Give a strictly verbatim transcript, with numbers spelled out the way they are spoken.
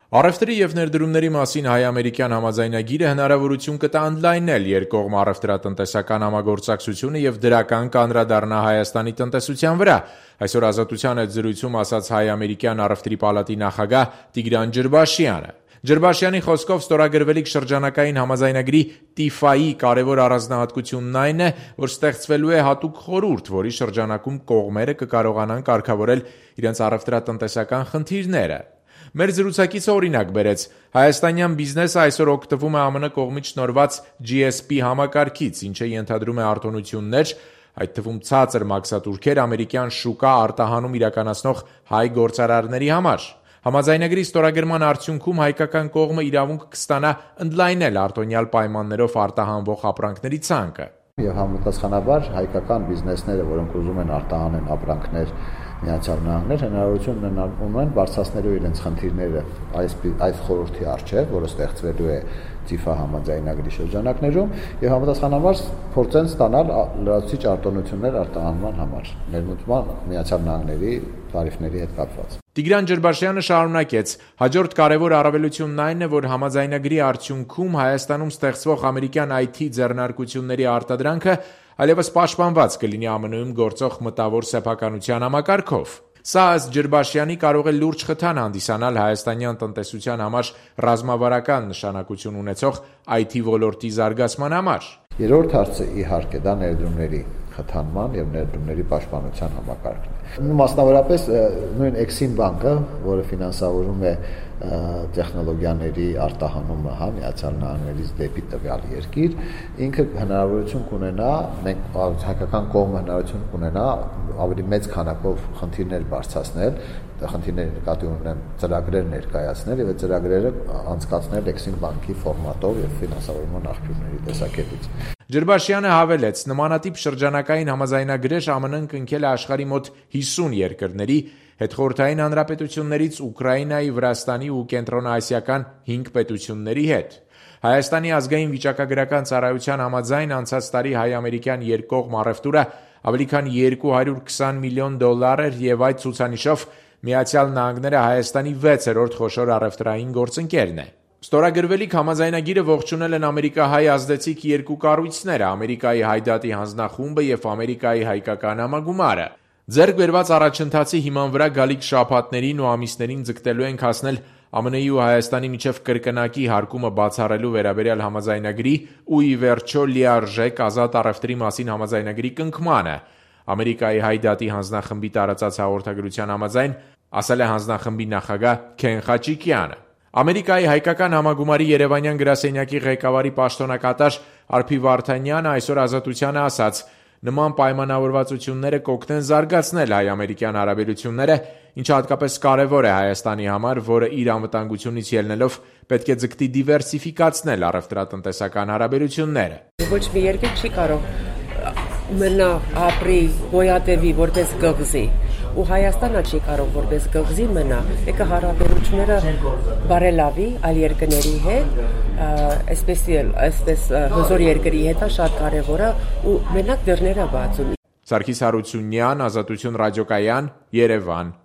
Առևտրի և ներդրումների մասին հայ-ամերիկյան համաձայնագիրը հնարավորություն կտա ընդլայնել երկկողմ առևտրատնտեսական համագործակցությունը և դրական կանդրադառնա Հայաստանի տնտեսության վրա, այսօր «Ազատության» հետ զրույցում ասաց հայ-ամերիկյան առևտրի պալատի նախագահ Տիգրան Ջրբաշյանը։ Ջրբաշյանի խոսքով ստորագրվելիք շրջանակային համաձայնագրի տիֆայի կարևոր առանձնահատկությունն այն է, որ ստեղծվելու է հատուկ խորհուրդ, որի շրջանակում կողմերը կկարողանան կարգավորել իրենց առևտրատնտեսական խնդիրները։ Մեր զրուցակիցը օրինակ բերեց. հայաստանյան բիզնեսը այսօր օգտվում է ԱՄՆ կողմից շնորհված G S P համակարգից, ինչը ենթադրում է արտոնություններ, այդ թվում ցածր մաքսատուրքեր ամերիկյան շուկա արտահանում իրականացնող հայ գործարարների համար։ Համաձայնագրի ստորագրման արդյունքում հայկական կողմը իրավունք կստանա ընդլայնել արտոնյալ պայմաններով արտահանվող ապրանքների ցանկը։ Եվ համապատասխանաբար հայկական բիզնեսները, որոնք ուզում են արտահանեն ապրանքներ Միացյալ Նահանգներ, հնարավորություն ունեն բարձրացնելու իրենց խնդիրները այս այս խորհրդի առջև, որը ստեղծվելու է տիֆա համաձայնագրի շրջանակներում, եւ համապատասխանաբար փորձեն ստանալ լրացուցիչ արտոնություններ արտահանման համար, ներմուծման Միացյալ Նահանգների տարիֆների հետ կապված։ Տիգրան Ջրբաշյանը շարունակեց. հաջորդ կարևոր առավելությունն այն է, որ համաձայնագրի արդյունքում Հայաստանում ստեղծվող ամերիկյան I T ձեռնարկությունների արտադրանքը այլևս պաշտպանված կլինի ԱՄՆ-ում գործող մտավոր սեփականության համակարգով։ Սա ըստ Ջրբաշյանի կարող է լուրջ խթան հանդիսանալ հայաստանյան տնտեսության համար ռազմավարական նշանակություն ունեցող I T ոլորտի զարգացման համար։ Երրորդ հարցը իհարկե դա ներդրումների խթանման եւ ներդրումների պաշտպանության համակարգն է։ Մասնավորապես նույն Exim բանկը, որը ֆինանսավորում է տեխնոլոգիաների արտահանումը հա Միացյալ Նահանգներից դեպի տվյալ երկիր, ինքը հնարավորություն կունենա, մենք հայկական կողմը հնարավորություն կունենա ավելի մեծ քանակով խնդիրներ բարձրացնել, խնդիրների նկատի ունեմ ծրագրեր ներկայացնել եւ այդ ծրագրերը անցկացնել Exim բանկի ֆորմատով եւ ֆինանսավորման աղբյուրների տեսակետից։ Ջրբաշյանը հավելեց. նմանատիպ շրջանակային համաձայնագրեր ԱՄՆ-ն կնքել է աշխարհի մոտ հիսուն երկրների, հետխորհրդային հանրապետություններից Ուկրաինայի, Վրաստանի ու կենտրոնաասիական հինգ պետությունների հետ։ Հայաստանի ազգային վիճակագրական ծառայության համաձայն անցած տարի հայ-ամերիկյան երկկողմ առևտուրը ավելի քան երկու հարյուր քսան միլիոն դոլար էր եւ այդ ցուցանիշով Միացյալ Նահանգները Հայաստանի վեցերորդ խոշոր առևտրային գործընկերն է։ Ստորագրվելիք համաձայնագիրը ողջունել են ամերիկահայ ազդեցիկ երկու կառույցները՝ Ամերիկայի Հայդատի հանձնախումբը եւ Ամերիկայի հայկական համագումարը։ Ձեռք բերված առաջընթացի հիման վրա գալիք շաբաթներին ու ամիսներին ձգտելու ենք հասնել ԱՄՆ-ի ու Հայաստանի միջև կրկնակի հարկումը բացառելու վերաբերյալ համաձայնագրի ու ի վերջո լիարժեք ազատ առևտրի մասին համաձայնագրի կնքմանը։ Ամերիկայի Հայդատի հանձնախմբի տարածած հաղորդագրության համաձայն ասել է հանձնախմբի նախագահ Քեն Խաչիկյանը։ Ամերիկայի հայկական համագումարի Երևանյան գրասենյակի ղեկավարի պաշտոնակատար Արփի Վարդանյանը այսօր Ազատությանը ասաց. նման պայմանավորվածությունները կօգնեն զարգացնել հայ-ամերիկյան հարաբերությունները, ինչը հատկապես կարևոր է Հայաստանի համար, որը իր անվտանգությունից ելնելով պետք է ձգտի դիվերսիֆիկացնել առևտրատնտեսական հարաբերությունները։ Ոչ մի երկիր չի կարող մնա ապրի գոյատևի որպես գղզի, ու Հայաստանը չի կարող որպես գղզի մնա, եկը հարաբերությունները բարելավի այլ երկրների հետ, այսպես այսպես հզոր երկրի հետ է շատ կարևոր է ու մենակ դռները բացում։ Սարգիս Հարությունյան, Ազատություն ռադիոկայան, Երևան։